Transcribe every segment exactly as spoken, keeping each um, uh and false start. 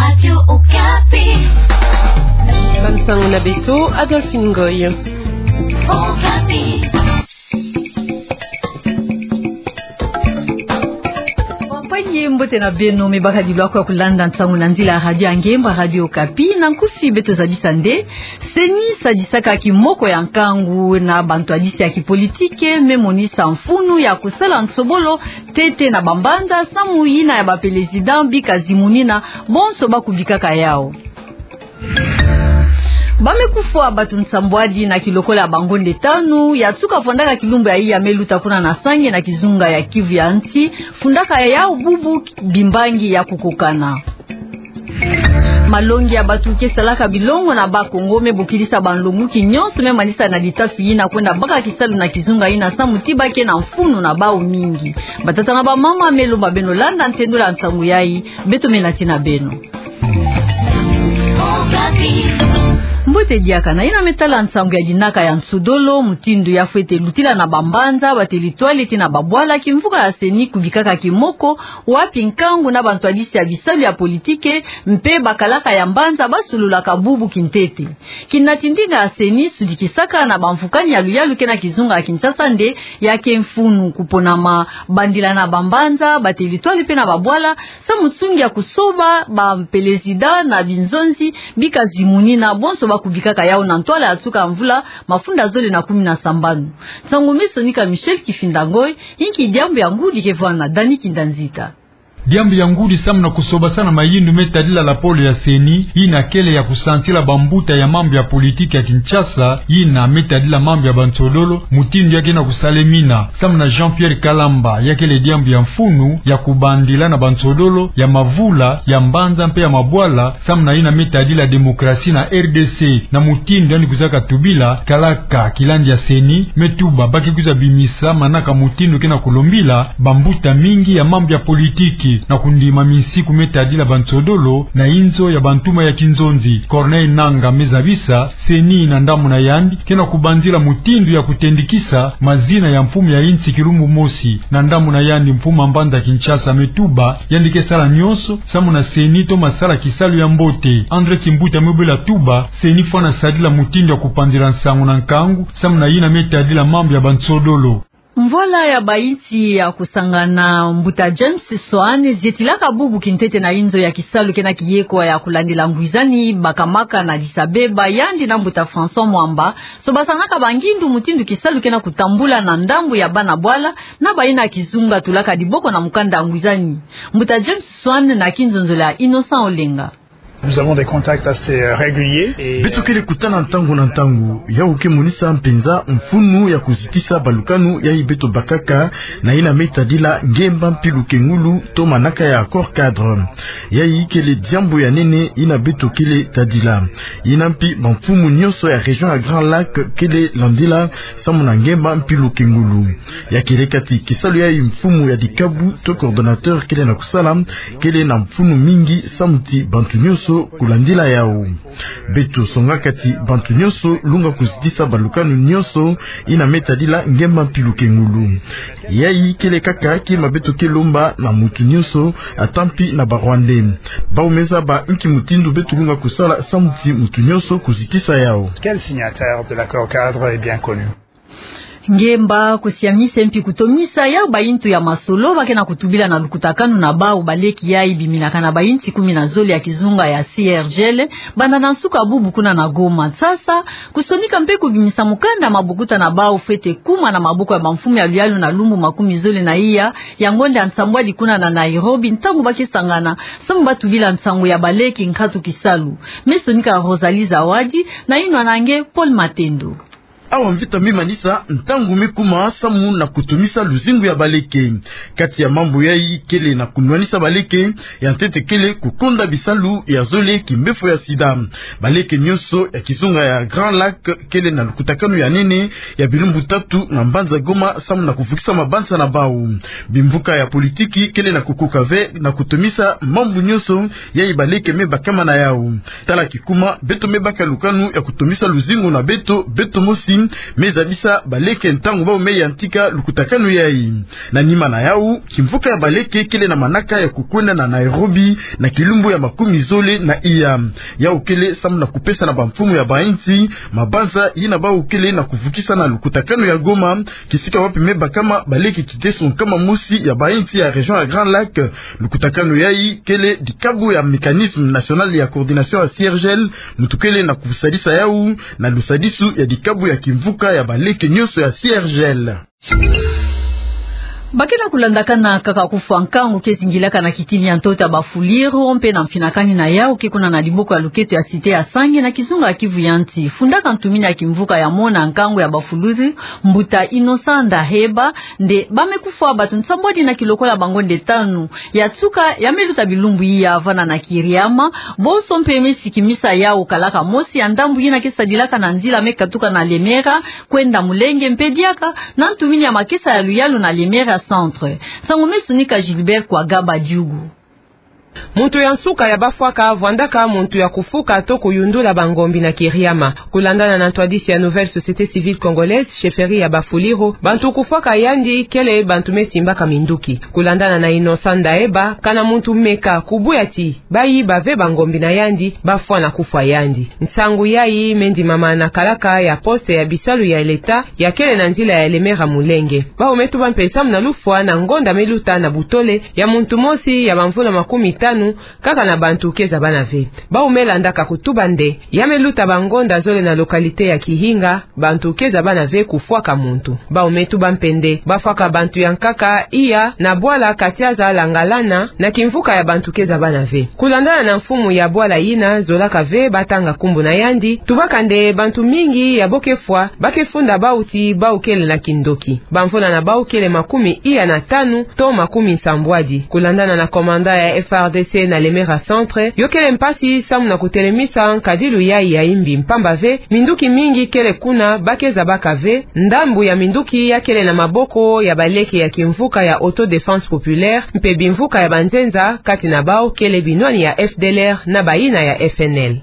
Radio Okapi. Bansango na beto, Adolphine Ngoy. Okapi. Bampangi, mbote na beno, me bakadi lwaku ya kulanda nsango na nzila ya radio ya ngemba, Radio Okapi. Na nkufi beto zabisa nde CENI sadisaka kimoko ya nkangu na bantwadisi ya kipolitike, me monisa mfunu ya kusala nsobolo ntete na bambanza, samu yina ya bapelezida bika zimunina bonso ba kubikaka yau. Ba me kufwa bato nsambwadi na kilokola ya bangonde tanu ya tuka fondaka kilumbu ya iya me luta kuna na Sange na kizunga ya Kivu ya nsi, fundaka yau bubu bimbangi ya kukokana. Malongi ya bato ke salaka bilongo na Bas-Congo me bokidisa banlonguki nyonso me manisa na litafi yina kwenda baka kisalu na kizunga yina, samu ti ba ke na mfunu na bau mingi. Batata na bamama, me lomba beno landa ntendola ya nsangu yai, beto me nati na beno. Mbote diaka. Na yina me tala nsangu ya dinaka ya nsodolo, mutindu ya fwete lutila na bambanza, batelitwale tii na babwala, kimvuka ya CENI kubikaka kimoko, wapi nkangu na bantwadisi ya bisalu ya politike mpe bakalaka ya mbanza ba sololaka bubu kintete. Kina ti ndinga ya CENI sudikisaka na bamfukani ya luyalu ke na kizunga ya Kinshasa nde ya ke mfunu kuponama bandila na bambanza, batelitwale mpe na babwala, samu nsungi ya kusoba bapelezida na binzonzi bika zimunina bonso ba kubikaka yau na ntwala ya tuka mvula mafunda zole na kumi na sambanu. Nsangu me sonika Michel Kifinda Ngoy, inki diambu ya ngudi ke vwanga? Dani Kinda Nzita. Diambu ya ngudi samu na kusobasana mayindu me tadila lapolo ya CENI, yina kele ya kusansila bambuta ya mambu ya politike ya Kinshasa, yina me tadila mambu ya bansodolo, mutindu ya ke na kusalemina. Samu na Jean-Pierre Kalamba, ya kele diambu ya mfunu ya kubandila na bansodolo ya mavula, ya mbanza mpe ya mabwala, samu na yina me tadila demokrasi na RDC, na mutindu yandi kwizaka tubila, kalaka kilandi ya CENI me tuba ba ke kwiza bimisa manaka mutindu ke na kulombila bambuta mingi ya mambu ya politiki na kundima minsiku me tadila bansodolo na inzo ya bantuma ya kinzonzi. Corneille Nangaa me zabisa, CENI na ndambu na yandi ke na kubanzila mutindu ya kutendikisa mazina ya mfumu ya insi kilumbu mosi. Na ndambu na yandi, mfumu ya mbanza Kinshasa me tuba yandi ke sala nyonso samu na CENI toma sala kisalu ya mbote. André Kimbuta me bwela tuba, CENI fwana sadila mutindu ya kupanzila nsangu na nkangu samu na yina me tadila mambu ya bansodolo. Mvwala ya bainsi ya kusangana, mbuta James Swan zetilaka bubu kintete na inzo ya kisalu ke na kiyekwa ya kulandila ngwizani bakamaka na Addis-Abeba, yandi na mbuta François Mwamba sobasanaka bangindu mutindu kisalu ke na kutambula na ndambu ya bana bwala na bayina kizunga tulaka diboko na mukanda ya ngwizani. Mbuta James Swan na kinzonzolo ya Innocent Olenga. Nous avons des contacts assez, euh, réguliers et, euh, beto kele kutana ntangu na ntangu, yau ke monisa mpenza mfunu ya kuzitisa balukanu yai beto bakaka na yina me tadila ngemba mpilu kengulu to manaka ya accord cadre. Yai kele diambu ya nene yina beto kele tadila. Yina mpi bamfumu nyonso ya région ya Grand Lac kele landila samu na ngemba mpilu kengulu. Ya kele kati kisalu yai mfumu ya dikabu to coordonnateur kele na kusala, kele na mfunu mingi samu ti bantu nyonso kulandila yau. Beto songa kati bantu nyonso lunga kuzitisa balukanu nyonso yina me tadila ngemba mpilu kengulu. Yai kele kaka kima beto ke lomba na mutu nyonso, ata mpi na ba Rwandais. Bau me zaba inki mutindu beto lunga kusala samu ti mutu nyonso kuzitisa yau. Quel signataire de l'accord cadre est bien connu? Ngemba kusiamisa mpi kutomisa yau baintu ya masolo ba ke na kutubila na lukutakanu na bau baleki yai biminaka na bainsi kumi na zole ya kizunga ya C R G L, banda na nsuka bubu kuna na Goma. Sasa, kusonika mpe kubimisa mukanda mabokuta na bau fwete kuma na maboko ya bamfumu ya luyalu na lumbu makumi zole na iya ya ngonda ya nsambwadi kuna na Nairobi, ntangu ba ke sangana samu ba tubila nsangu ya baleki nkatu kisalu. Me sonika Rosalie Zawadi, na yinwa na nge Paul Matendo. Awa mvita me manisa ntangu me kuma samu na kutomisa luzingu ya baleke. Kati ya mambu yai kele na kunwanisa baleke, ya ntete kele kukonda bisalu ya zole kimbefo ya sida. Baleke nyonso ya kizunga ya Grand Lac kele na lukutakanu ya nene ya bilumbu tatu na mbanza Goma samu na kuvukisa mabanza na bau. Bimvuka ya politiki kele na kukoka ve na kutomisa mambu nyonso yai baleke me bakama na yau. Tala kikuma, beto me baka lukanu ya kutomisa luzingu na beto, beto mosi. me zabisa baleke ntangu bau me yantika lukutakanu yayi. Na nima na yau, kimvuka ya baleke kele na manaka ya kukwenda na Nairobi na kilumbu ya makumi zole na iya. Yau kele samu na kupesa na bamfumu ya bainsi mabanza yina bau kele na kuvukisa na lukutakanu ya Goma, kisika wapi me bakama baleke kiteso nkama mosi ya bainsi ya région ya Grand Lac. Lukutakanu yayi kele dikabu ya Mécanisme National ya Coordination ya C I R G L, muntu kele na kusadisa yau na lusadisu ya dikabu ya kimvuka ya baleke nyonso ya C I R G L. Ba ke na kulandakana kaka kufwa nkangu ke zingilaka na kitini ya ntoto ya Bafuliro, mpe na mfinakani na yau ke kuna na diboko ya luketo ya Cité ya Sange na kizunga ya Kivu ya Nsi. Fundaka ntumini ya kimvuka ya mona nkangu ya Bafuliro, mbuta Innocent Ndaheba, nde ba me kufwa bato nsambwadi na kilokola bango nde tanu. Ya tuka, ya me luta bilumbu iya vana na Kiriama, bonso mpe me sikimisa yau kalaka mosi ya ndambu yina ke sadilaka na nzila me katuka na Lemera kwenda Mulenge mpe diaka na ntumini ya makesa ya luyalu na Lemera Centre. Nsangu me sonika Gilbert Kwagaba Diugu. Muntu ya nsuka ya bafwaka vwandaka muntu ya kufuka to kuyundula bangombi na Kiriama. Kulandana na ntwadisi ya Nouvelle Société Civile Congolaise, chefferie ya Bafuliro, bantu kufwaka yandi kele bantu me simbaka minduki. Kulandana na Innocent Ndaheba, kana muntu meka kubuya ti bayi bave bangombi na yandi, bafwa na kufwa yandi. Nsangu yayi me ndimama na kalaka ya poste ya bisalu ya leta ya kele na nzila ya Lemera Mulenge. Bau me tuba mpe samu na lufwa na ngonda me luta na butole ya muntu mosi ya bamvula makumi tanu, kaka na bantu ke zabana ve. Bau me landaka kutuba nde ya me luta bangonda zole na localité ya Kihinga, bantu ke zabana ve kufwaka muntu. Bau me tuba mpe nde bafwaka bantu ya nkaka iya na bwala Katiaza Langalana na kimvuka ya bantu ke zabana ve. Kulandana na mfumu ya bwala yina zolaka ve batanga nkumbu na yandi, tubaka nde bantu mingi ya bo ke fwa, ba ke funda bau ti bau kele na kindoki. Bamvula na bau kele makumi iya na tanu to makumi nsambwadi. Kulandana na commandant ya F R D C na Lemera Centre, yo kele mpasi samu na kutelemisa nkadilu yayi ya imbi mpamba ve, minduki mingi kele kuna, ba ke zabaka ve, ndambu ya minduki ya kele na maboko ya baleke ya kimvuka ya Autodéfense Populaire, mpe bimvuka ya banzenza, kati na bau kele binwani ya F D L R na bayina ya F N L.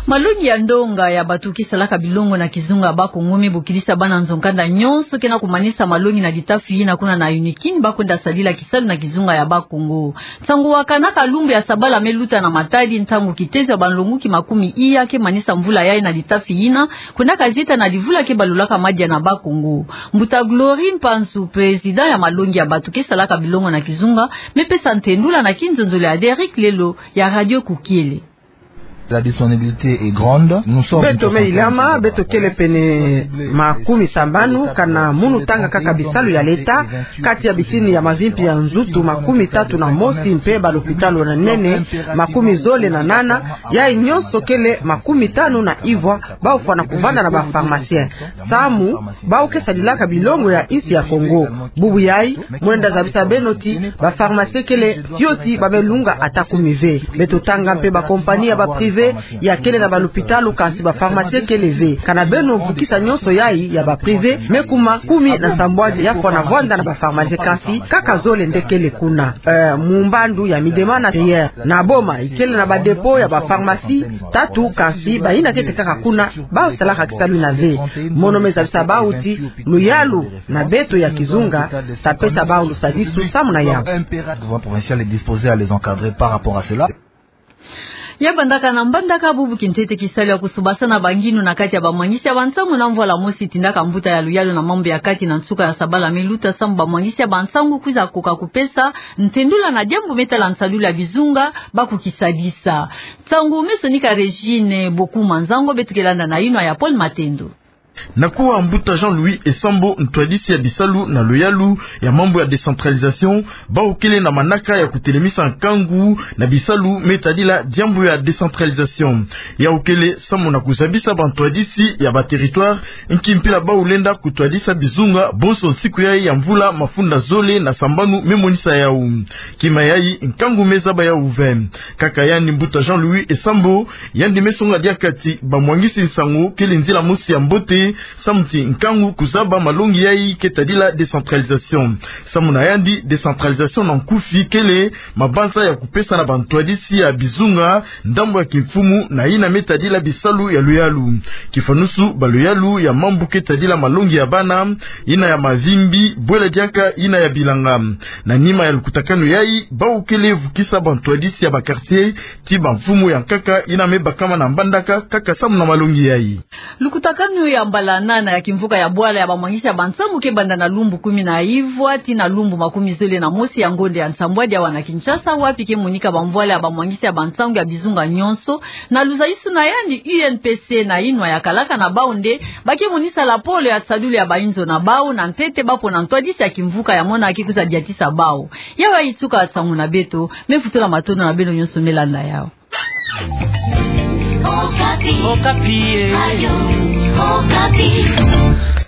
Malongi ya ndonga ya bato ke salaka bilongo na kizunga ya Bakongo me bokilisa bana nzo-nkanda nyonso ke na kumanisa malongi na litafi yina kuna na UNIKIN ba kwenda sadila kisalu na kizunga ya Bakongo. Nsangu wakanaka lumbu ya sabala me luta na Matadi, ntangu kitezo ya banlonguki makumi iya ke manisa mvula yayi na litafi yina, kwendaka zieta na livula ke balulaka madia na Bakongo. Mbuta Glory Mpanzu, président ya malongi ya bato ke salaka bilongo na kizunga, me pesa ntendula na kinzonzolo ya Derrick Lelo ya Radio Kukiele. La disponibilité est grande. Nous sommes Beto me ilama, beto kele pene makumi sambanu, kana munu tanga kaka bisalu ya leta, kati ya bitini ya mavimpi ya nzutu makumi tatu na mosi, mpe balopitalo na nene makumi zole na nana, yayi nyonso kele makumi tanu na ivwa, bau fwana kuvanda na ba pharmaciens. Samu bau ke sadilaka bilongo ya insi ya Kongo. Bubu yayi, mwenda zabisa beno ti ba pharmaciens kele fioti ba me lunga ata kumi ve. Beto tanga mpe ba compagnies ya ba privés ya kele na balopitalo, kansi ba pharmaciens kele ve. Kana beno vukisa nyonso yayi ya ba privés, me kuma kumi na nsambwadi ya fwana vwanda na ba pharmaciens, kansi kaka zole nde kele kuna. Eh, mu mbandu ya Midema na Seyères, na Boma, ikele na ba dépôts ya ba pharmacies tatu, kansi bayina kete kaka kuna, bau salaka kisalu yina ve. Mono me zabisa bau ti luyalu na beto ya kizunga, ta pesa bau lusadisu samu na yau. Impératif, le gouvernement provincial est disposé à les encadrer par rapport à cela. Ya bandaka na mbandaka, bubu kintete kisalu ya kusobasana banginu na kati ya bamwangisi ya bansangu na mvwala mosi tindaka mbuta ya luyalu na mambu ya kati na nsuka ya sabala me luta, samu bamwangisi ya bansangu kwiza koka kupesa ntendula na diambu me tala nsalulu ya bizunga ba kukisadisa. Nsangu me sonika Régine Bokuma Nzango, beto ke landa na yinwa ya Paul Matendo. Na kuwa, mbuta Jean-Louis Esambo, ntwadisi ya bisalu na luyalu ya mambu ya décentralisation, bau kele na manaka ya kutelemisa nkangu na bisalu me tadila diambu ya décentralisation. Yau kele samu na kuzabisa bantwadisi ya ba territoires nki mpila bau lenda kutwadisa bizunga bonso nsiku yayi ya mvula mafunda zole na sambanu me monisa yau. Kima yayi, nkangu me zaba yau ve. Kaka yandi mbuta Jean-Louis Esambo, yandi me songa diaka ti bamwangisi nsangu kele nzila mosi ya mbote samu ti nkangu kuzaba malongi yai ke tadila décentralisation. Samu na yandi, décentralisation na nkufi kele mabanza ya kupesa na bantwadisi ya bizunga ndambu ya kimfumu na yina me tadila bisalu ya luyalu. Kifanusu baloyalu ya mambu ke tadila malongi ya bana, yina ya mavimbi, bwela diaka yina ya bilanga. Na nima ya lukutakanu yai, bawu kele vukisa bantwadisi ya ba quartier ti bamfumu ya nkaka yina me bakama na mbandaka kaka samu na malongi yai. Lukutakanu ya mbala nana ya kimvuka ya bwala ya bamwangisi ya bansangu ke banda na lumbu kumi na ivwa tii na lumbu makumi zole na mosi ya ngonde ya nsambwadi awa na Kinshasa, wapi ke monika bamvwala ya bamwangisi ya bansangu ya bizunga nyonso, na luzaisu na yandi U N P C na inwa ya kalaka na bawu nde ba ke monisa lapolo ya sadulu ya bainzo na bawu na ntete ba pona ntwadisi ya kimvuka ya mona ke kwiza diatisa bawu. Yayi tuka nsangu na beto, me futula matondo na beno nyonso me landa yawu. Okapi. Okapi, eh. Radio Okapi.